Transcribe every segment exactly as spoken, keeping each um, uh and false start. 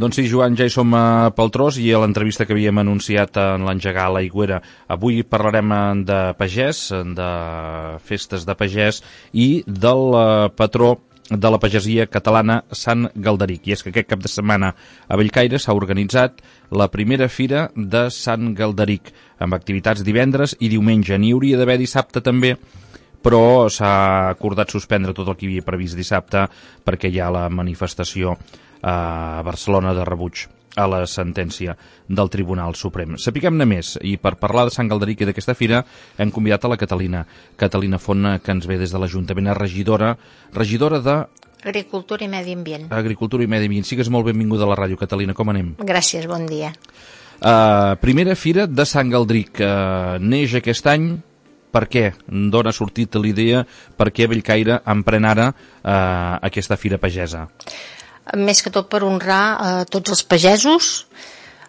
Doncs sí, Joan, ja hi som a Paltrós i a l'entrevista que havíem anunciat en l'engegar a l'Aigüera. Avui parlarem de pagès, de festes de pagès i del patró de la pagesia catalana, Sant Galderic. I és que aquest cap de setmana a Bellcaire s'ha organitzat la primera fira de Sant Galderic, amb activitats divendres i diumenge. N'hi hauria d'haver dissabte també, però s'ha acordat suspendre tot el que hi havia previst dissabte perquè hi ha la manifestació a Barcelona de rebuig a la sentència del Tribunal Suprem. Sapiguem-ne més, i per parlar de Sant Galderic i d'aquesta fira hem convidat a la Catalina, Catalina Font, que ens ve des de l'Ajuntament, és regidora, regidora de... Agricultura i Medi Ambient. Agricultura i Medi Ambient. Sigues molt benvinguda a la ràdio, Catalina, com anem? Gràcies, bon dia. Uh, primera fira de Sant Galderic, uh, neix aquest any. Per què? D'on ha sortit l'idea? Per què Bellcaire emprèn ara uh, aquesta fira pagesa? Més que tot per honrar eh, tots els pagesos.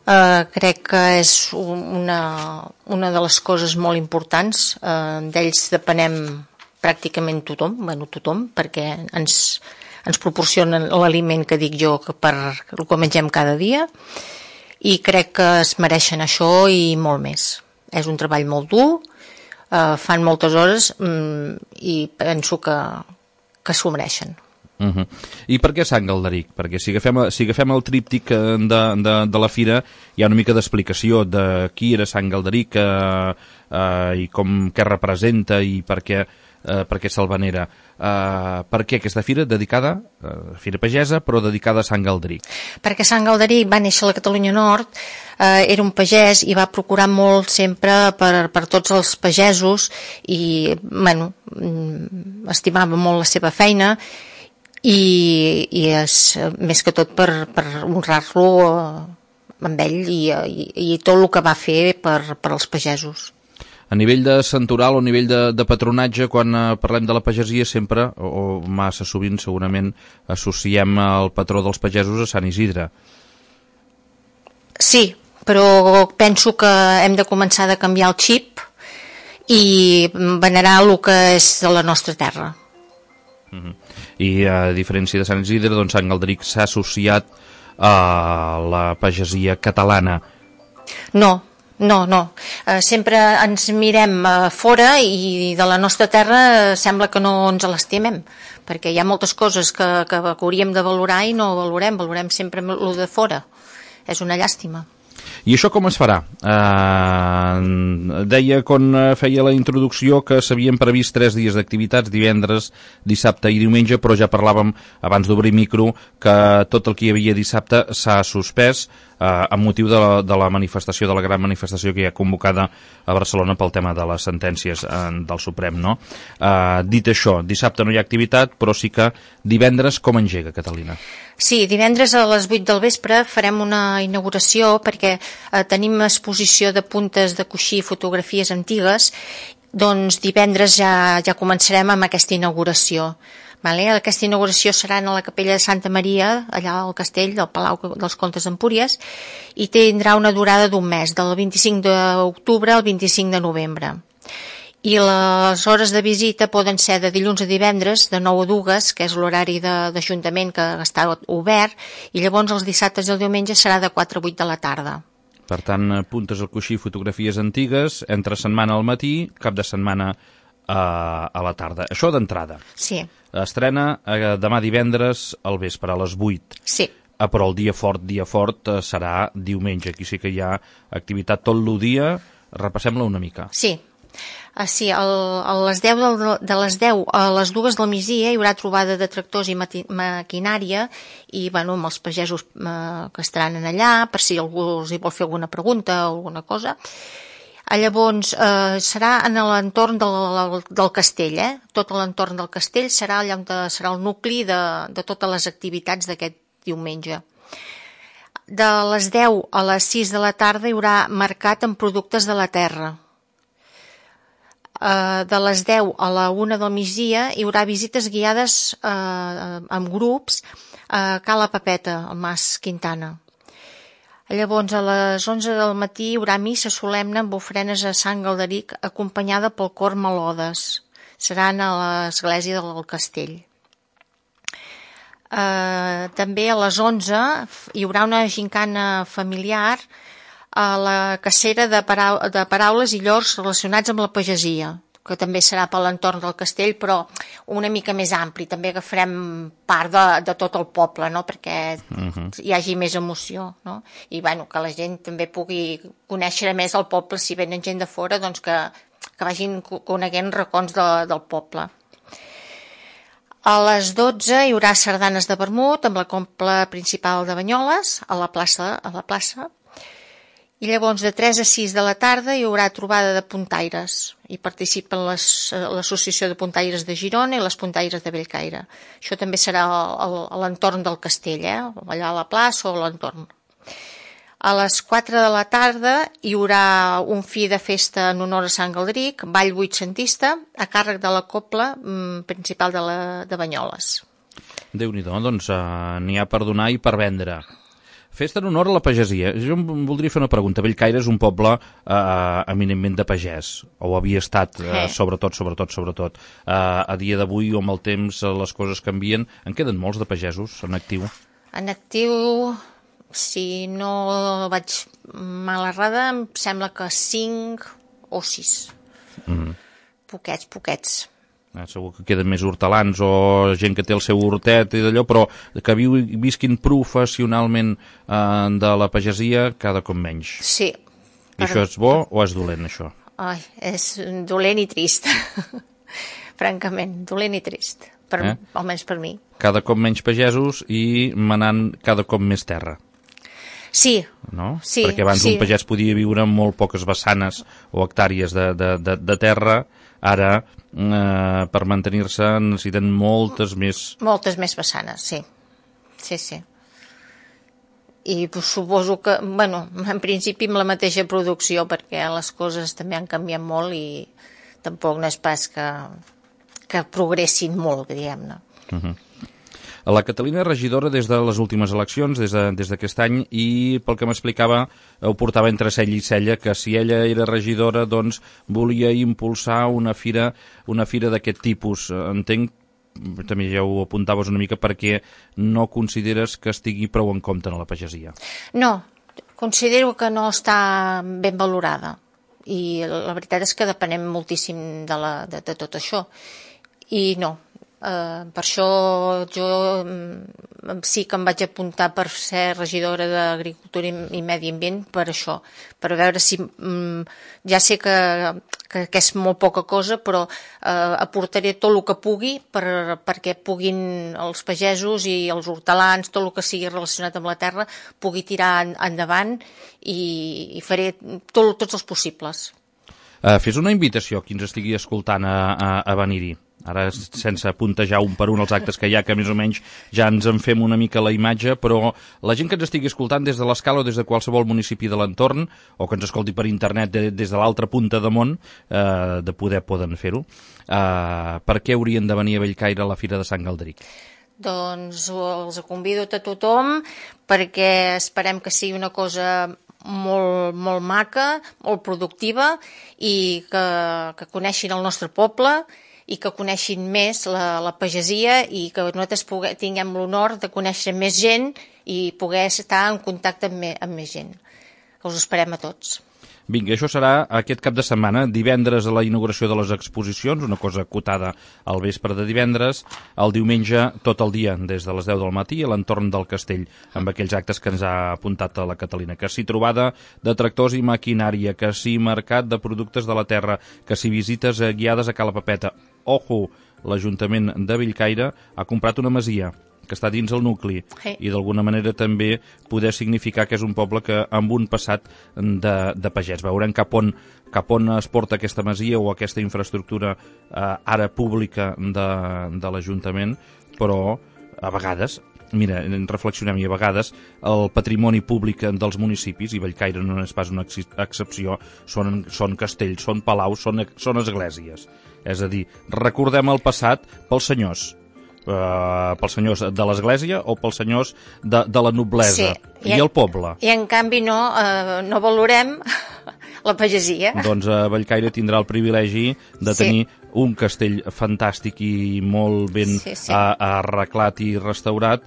Eh, crec que és una, una de les coses molt importants. Eh, d'ells depenem pràcticament tothom, bueno, tothom, perquè ens, ens proporcionen l'aliment que dic jo que per el que mengem cada dia, i crec que es mereixen això i molt més. És un treball molt dur, eh, fan moltes hores mm, i penso que, que s'ho mereixen. Uh -huh. I per què Sant Galderic? Perquè si agafem, si agafem el tríptic de, de, de la fira hi ha una mica d'explicació de qui era Sant Galderic eh, eh, i com, què representa i per què, eh, per què se'l venera. Eh, per què aquesta fira dedicada, eh, fira pagesa, però dedicada a Sant Galderic? Perquè Sant Galderic va néixer a la Catalunya Nord, eh, era un pagès i va procurar molt sempre per, per tots els pagesos i, bueno, estimava molt la seva feina. I, i és més que tot per, per honrar-lo amb ell i, i, i tot el que va fer per, per als pagesos. A nivell de santoral o a nivell de, de patronatge, quan eh, parlem de la pagesia sempre, o, o massa sovint segurament, associem el patró dels pagesos a Sant Isidre. Sí, però penso que hem de començar a canviar el xip i venerar el que és de la nostra terra. Mm-hmm. I a diferència de Sant Isidre, doncs Sant Galderic s'ha associat a la pagesia catalana. No, no, no. Eh, sempre ens mirem a fora i de la nostra terra sembla que no ens l'estimem, perquè hi ha moltes coses que, que hauríem de valorar i no valorem, valorem sempre el de fora. És una llàstima. I això com es farà? Uh, deia quan feia la introducció que s'havien previst tres dies d'activitats, divendres, dissabte i diumenge, però ja parlàvem abans d'obrir micro que tot el que hi havia dissabte s'ha suspès uh, amb motiu de la, de la manifestació, de la gran manifestació que hi ha convocada a Barcelona pel tema de les sentències uh, del Suprem, no? Uh, dit això, dissabte no hi ha activitat, però sí que divendres com engega, Catalina? Sí, divendres a les vuit del vespre farem una inauguració perquè eh, tenim exposició de puntes de coixí i fotografies antigues, doncs divendres ja, ja començarem amb aquesta inauguració. Vale? Aquesta inauguració serà a la capella de Santa Maria, allà al castell del Palau dels Comtes d'Empúries, i tindrà una durada d'un mes, del vint-i-cinc d'octubre al vint-i-cinc de novembre. I les hores de visita poden ser de dilluns a divendres, de nou a dues, que és l'horari d'Ajuntament que està obert, i llavors els dissabtes i el diumenge serà de quatre a vuit de la tarda. Per tant, puntes al coixí, fotografies antigues, entre setmana al matí, cap de setmana a, a la tarda. Això d'entrada. Sí. Estrena eh, demà divendres al vespre, a les vuit. Sí. Ah, però el dia fort, dia fort, eh, serà diumenge. Aquí sí que hi ha activitat tot el dia. Repassem-la una mica. Sí. Ah, sí, el, a les deu del, de les deu a les dues del migdia hi haurà trobada de tractors i mati, maquinària i bueno, amb els pagesos eh, que estaran allà per si algú els hi vol fer alguna pregunta o alguna cosa. Ah, llavors eh, serà en l'entorn del, del castell, eh? Tot l'entorn del castell serà allà on serà el nucli de, de totes les activitats d'aquest diumenge. De les deu a les sis de la tarda hi haurà mercat amb productes de la terra. Uh, de les deu a la una del migdia hi haurà visites guiades uh, amb grups a Cala Papeta, al Mas Quintana. Llavors a les onze del matí hi haurà missa solemne amb ofrenes a Sant Galderic acompanyada pel cor Melodes. Seran a l'església del castell. Eh, també a les onze hi haurà una gincana familiar a la cacera de, parau de paraules i llors relacionats amb la pagesia, que també serà per l'entorn del castell, però una mica més ampli. També agafarem part de, de tot el poble, no?, perquè uh-huh. hi hagi més emoció, no? I bueno, que la gent també pugui conèixer més el poble, si venen gent de fora, doncs que, que vagin coneguent racons de, del poble. A les dotze hi haurà sardanes de vermut amb la cobla principal de Banyoles a la plaça, a la plaça. I llavors de tres a sis de la tarda hi haurà trobada de puntaires. Hi participen l'Associació de Puntaires de Girona i les Puntaires de Bellcaire. Això també serà a l'entorn del castell, eh? Allà a la plaça o a l'entorn. A les quatre de la tarda hi haurà un fi de festa en honor a Sant Galdric, ball vuitcentista, a càrrec de la cobla principal de, la, de Banyoles. Déu-n'hi-do, doncs uh, n'hi ha per donar i per vendre. Festa en honor a la pagesia. Jo em voldria fer una pregunta. Bellcaire és un poble uh, eminentment de pagès, o havia estat, uh, sobretot, sobretot, sobretot. Uh, a dia d'avui, o amb el temps, les coses canvien. En queden molts de pagesos en actiu? En actiu... Si no vaig mal errada, em sembla que cinc o sis. Mm. Poquets, poquets. Eh, segur que queden més hortelans o gent que té el seu hortet i d'allò, però que viu, visquin professionalment eh, de la pagesia cada cop menys. Sí. I per... això és bo o és dolent, això? Ai, és dolent i trist. Francament, dolent i trist. Per, eh? Almenys per mi. Cada cop menys pagesos i manant cada cop més terra. Sí, no? sí. Perquè abans sí. un pagès podia viure amb molt poques vessanes o hectàrees de, de, de, de terra. Ara, eh, per mantenir-se, necessiten moltes més... Moltes més vessanes, sí. Sí, sí. I pues, suposo que, bueno, en principi amb la mateixa producció, perquè les coses també han canviat molt i tampoc no és pas que, que progressin molt, diguem-ne. Uh-huh. La Catalina és regidora des de les últimes eleccions, des d'aquest de, any, i pel que m'explicava ho portava entre cella i cella, que si ella era regidora doncs volia impulsar una fira, una fira d'aquest tipus. Entenc, també ja ho apuntaves una mica, perquè no consideres que estigui prou en compte en la pagesia. No, considero que no està ben valorada, i la veritat és que depenem moltíssim de, la, de, de tot això, i no. Uh, per això jo um, sí que em vaig apuntar per ser regidora d'Agricultura i, i Medi Ambient per això, per veure si um, ja sé que, que, que és molt poca cosa, però uh, aportaré tot el que pugui per, perquè puguin els pagesos i els hortelans, tot el que sigui relacionat amb la terra, pugui tirar en, endavant i, i faré tot, tots els possibles. Uh, fes una invitació a qui ens estigui escoltant a, a, a venir-hi. Ara, sense puntejar un per un els actes que hi ha, que més o menys ja ens en fem una mica la imatge, però la gent que ens estigui escoltant des de l'Escala o des de qualsevol municipi de l'entorn, o que ens escolti per internet de, des de l'altra punta de món, eh, de poder poden fer-ho, eh, per què haurien de venir a Bellcaire a la Fira de Sant Galdric? Doncs els convido a tothom perquè esperem que sigui una cosa molt, molt maca, molt productiva i que, que coneixin el nostre poble i que coneixin més la, la pagesia i que nosaltres puguem, tinguem l'honor de conèixer més gent i poder estar en contacte amb, me, amb més gent. Us esperem a tots. Vinga, això serà aquest cap de setmana, divendres a la inauguració de les exposicions, una cosa acotada al vespre de divendres, el diumenge tot el dia, des de les deu del matí a l'entorn del castell, amb aquells actes que ens ha apuntat a la Catalina, que si trobada de tractors i maquinària, que si mercat de productes de la terra, que si visites guiades a Cala Papeta. Ojo, l'Ajuntament de Bellcaire ha comprat una masia que està dins el nucli, sí. I d'alguna manera també poder significar que és un poble que amb un passat de, de pagès. Veurem cap on, cap on es porta aquesta masia o aquesta infraestructura eh, ara pública de, de l'Ajuntament, però a vegades, mira, reflexionem, i a vegades el patrimoni públic dels municipis, i Bellcaire no és pas una excepció, són, són castells, són palaus, són, són esglésies. És a dir, recordem el passat pels senyors, Uh, pels senyors de l'església o pels senyors de, de la noblesa, sí, i, i el poble. I en canvi no, uh, no valorem la pagesia. Doncs uh, Bellcaire tindrà el privilegi de sí. tenir un castell fantàstic i molt ben sí, sí. arreglat i restaurat,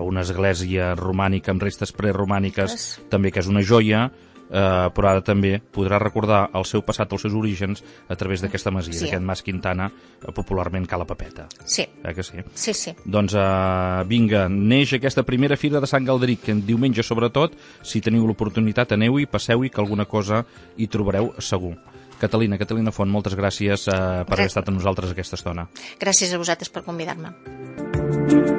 una església romànica amb restes preromàniques, yes. també que és una joia, eh, però ara també podrà recordar el seu passat, els seus orígens, a través d'aquesta masia, sí. d'aquest Mas Quintana, popularment Cala Papeta. Sí. Eh que sí? Sí, sí. Doncs eh, vinga, neix aquesta primera fira de Sant Galderic, que diumenge sobretot, si teniu l'oportunitat, aneu-hi, passeu-hi, que alguna cosa hi trobareu segur. Catalina, Catalina Font, moltes gràcies eh, per haver estat amb nosaltres aquesta estona. Gràcies a vosaltres per convidar-me.